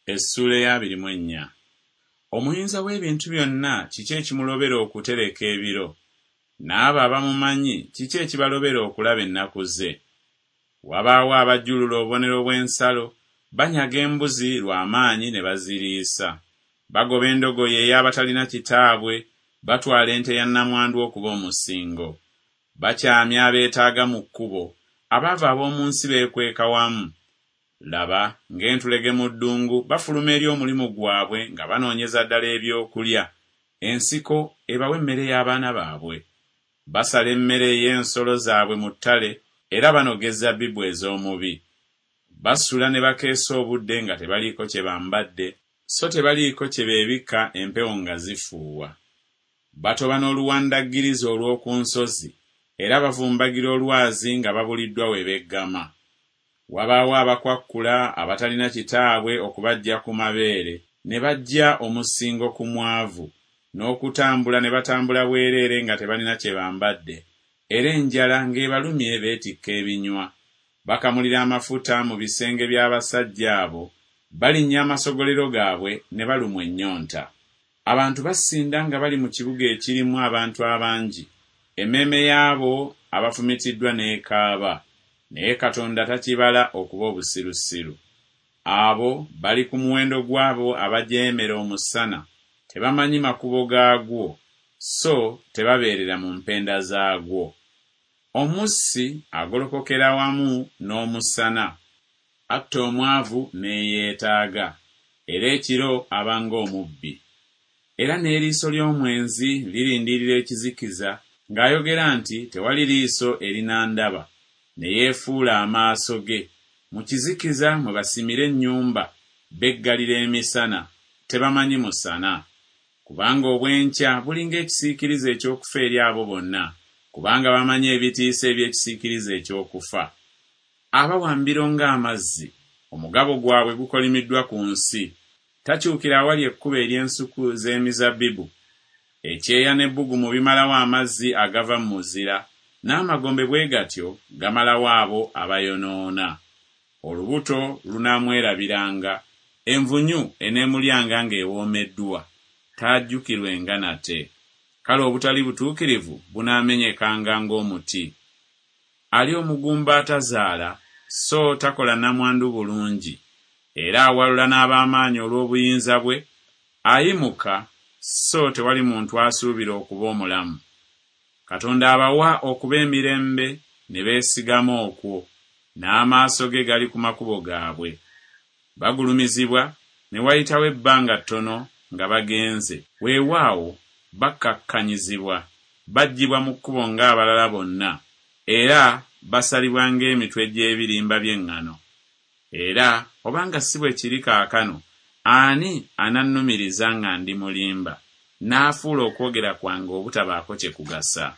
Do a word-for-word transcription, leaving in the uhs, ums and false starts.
Essuula ey'abiri mu ennya. Omuyinza w'ebintu byonna kiki ekimulobera okutereka ebiro? N'abo abamumanyi kiki ekibalobera okulaba ennaku ze? Wabaawo abajjulula obubonero bw'ensalo, banyaga embuzi lwa maanyi ne baziriisa. Bagoba endogoyi ey'abatalina kitaabwe, batwala ente ya nnamwandu okuba omusingo. Bakyamya abeetaaga mu kkubo, abaavu ab'omu nsi beekweka wamu. Laba, ng'entulege mu ddungu bafuluma eri omulimu gwabwe nga banoonyeza ddala ebyokulya, ensiko ebawe emmere y'abaana baabwe. Basala emmere ey'ensolo zaabwe mu ttale, era banoga ezabbibu ez'omubi. Basula ne bakeesa obudde nga tebaliiko kye bambadde, so tebaliiko kye beebikka empewo nga zifuuwa. Batoba n'oluwandaggirizi olw'oku nsozi, era bavumbagira olwazi nga babuliddwa we beggama. Wabaawo abakwakkula abatalina kitaabwe okubaggya ku mabeere, ne baggya omusingo ku mwavu, n'okutambula ne batambula bwereere nga tebalina kye bambadde, era enjala ng'ebalumye beetikka ebinywa. Bakamulira amafuta mu bisenge by'abasajja abo, balinnya amasogolero gaabwe ne balumwa ennyonta. Abantu basinda nga bali mu kibuga ekirimu abantu abangi, emmeeme y'abo abafumitiddwa n'ekaaba, naye Katonda takibala okuba obusirusiru. Abo bali ku muwendo gw'abo abajeemera omusana, tebamanyi makubo gaagwo, so tebabeerera mu mpenda zaagwo. Omussi agolokokera wamu n'omusana, atta omwavu n'eyeetaaga, era ekiro aba ng'omubbi. Era n'eriiso ly'omwenzi lirindirira ekizikiza, ng'ayogera nti tewali liiso erinandaba, ne yeefuula amaaso ge. Mu kizikiza mwe basimira ennyumba, beggalira emisana, tebamanyi musana. Kubanga obw'enkya bulinga ekisiikirize eky'okufa eri abo bonna, kubanga bamanyi ebitiisa eby'ekisiikirize eky'okufa. Abawambiro ng'amazzi, omugabo gwabwe gukolimiddwa ku nsi. Takyukira awali ekkubo ery'ensuku z'emizabbibu. Ekyeya n'ebbugumu bimalawo amazzi agava mu muzira, n'amagombe bwe gatyo gamalawo abo abayonoona. Olubuto lunaamwerabiranga, envunyu eneemulyanga ng'ewoomeddwa, taajjukirwenga nate. Kale obutali butuukirivu bunaamenyekanga ng'omuti. Ali omugumba atazaala, so takola nnamwandu bulungi, era awalula n'ab'amaanyi olw'obuyinza bwe, ayimuka, so tewali muntu asuubira okuba omulamu. Katonda abawa okuba emirembe ne beesigama okwo, n'amaaso ge gali ku makubo gaabwe. Bagulumizibwa, ne wayitawo ebbanga ttono nga bagenze, weewaawo bakkakkanyizibwa, baggyibwa mu kkubo ng'abalala bonna, era basalibwa ng'emitwe gy'ebirimba by'eŋŋano. Era obanga si bwe kiri kaakano, ani anannumiriza nga ndi mulimba, n'afuula okwogera kwange obutabaako kye kugasa?